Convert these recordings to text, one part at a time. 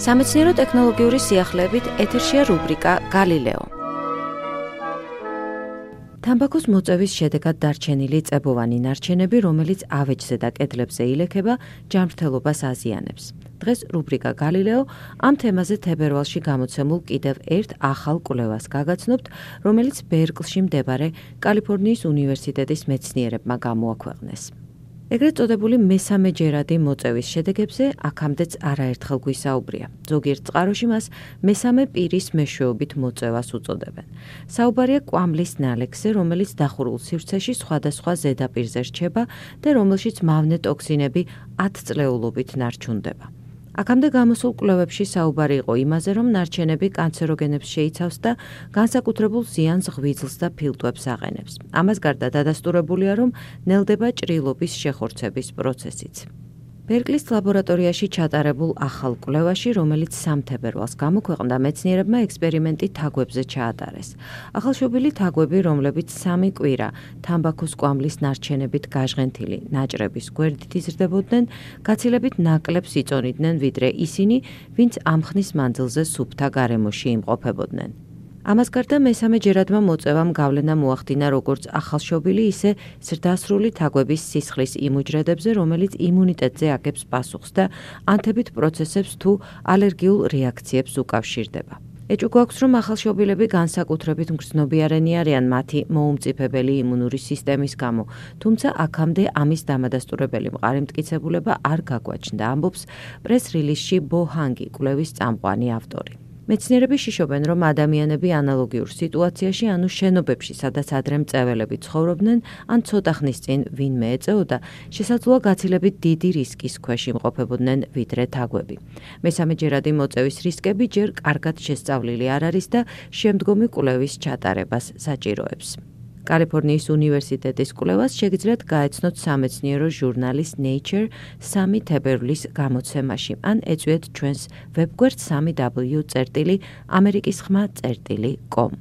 სამეცნიერო ტექნოლოგიური სიახლეებით ეთერშია რუბრიკა გალილეო. თამბაქოს მოწევის შედეგად დარჩენილი წებოვანი ნარჩენები, რომელიც ავეჯზე და კედლებზე ილექება, ჯანმრთელობას აზიანებს. დღეს რუბრიკა გალილეო ამ თემაზე თებერვალში გამოცემულ კიდევ ერთ ახალ კვლევას გაგაცნობთ, რომელიც ბერკლში მდებარე კალიფორნიის უნივერსიტეტის მეცნიერებმა გამოაქვეყნეს. ეგრეთ წოდებული მესამეჯერადი მოწევის შედეგებზე აქამდეც არაერთხელ გვისაუბრია. ზოგიერთ წყაროში მას მესამე პირის მეშვეობით მოწევას უწოდებენ. საუბარია კვამლის ნალექზე, რომელიც დახურულ სივრცეში სხვადასხვა ზედაპირზე რჩება და რომელშიც მავნე ტოქსინები 10 წლეულობით ნარჩუნდება. აქამდე გამოსულ კვლევებში საუბარი იყო იმაზე, რომ ნარჩენები კანცეროგენებს შეიცავს და განსაკუთრებულ ზიანს ღვიძლს და ფილტვებს აყენებს. ამას გარდა დადასტურებულია, რომ ნელდება ჭრილობის შეხორცების პროცესიც. ბერკლის ლაბორატორიაში ჩატარებულ ახალ კვლევაში, რომელიც სამთებერვალს გამოქვეყნდა, მეცნიერებმა ექსპერიმენტი თაგვებზე ჩაატარეს. ახალშობილი თაგვები, რომლებიც 3 კვირა თამბაქოს კვამლის ნარჩენებით გაჟღენთილი ნაჭრების გვერდით იზრდებოდნენ, გაცილებით ნაკლებს იწონიდნენ, ვიდრე ისინი, ვინც ამ ხნის მანძილზე სუფთა გარემოში იმყოფებოდნენ. ამას გარდა მესამეჯერადმა მოწევამ გავლენა მოახდინა როგორც ახალშობილი, ისე ზრდასრული თაგვების სისხლის იმუჯრედებზე, რომელიც იმუნიტეტზე აგებს პასუხს და ანთებით პროცესებს თუ ალერგიულ რეაქციებს უკავშირდება. ეჭვი გვაქვს, რომ ახალშობილები განსაკუთრებით მგრძნობიარენი არიან მათი მოუმწიფებელი იმუნური სისტემის გამო, თუმცა აქამდე ამის დამადასტურებელი მყარი მტკიცებულება არ გაგვაჩნდა, ამბობს პრეს-რილიზში ბო ჰანგი, კვლევის წამყვანი ავტორი. მეცნიერები შიშობენ, რომ ადამიანები ანალოგიურ სიტუაციაში, ანუ შენობებში, სადაც ადრე მწეველები ცხოვრობდნენ, ან ცოტა ხნის წინ ვინმე ეწეოდა, შესაძლოა გაცილებით დიდი რისკის ქვეშ იმყოფებოდნენ ვიდრე თაგვები. მესამეჯერადი მოწევის რისკები ჯერ კარგად შესწავლილი არ არის და შემდგომი კვლევის ჩატარებას საჭიროებს. კალიფორნიის უნივერსიტეტის კვლევას შეგიძლიათ გაეცნოთ სამეცნიერო ჟურნალის Nature 3 თებერვლის გამოცემაში, ან ეწვიეთ ჩვენს ვებგვერდ 3w.amerikisxma.com.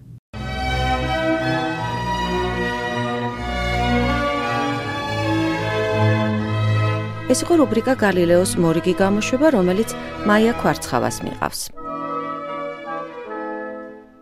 ეს იყო რუბრიკა გალილეოს მორიგი გამოშვება, რომელიც მაია ქვარცხავას მიყავს.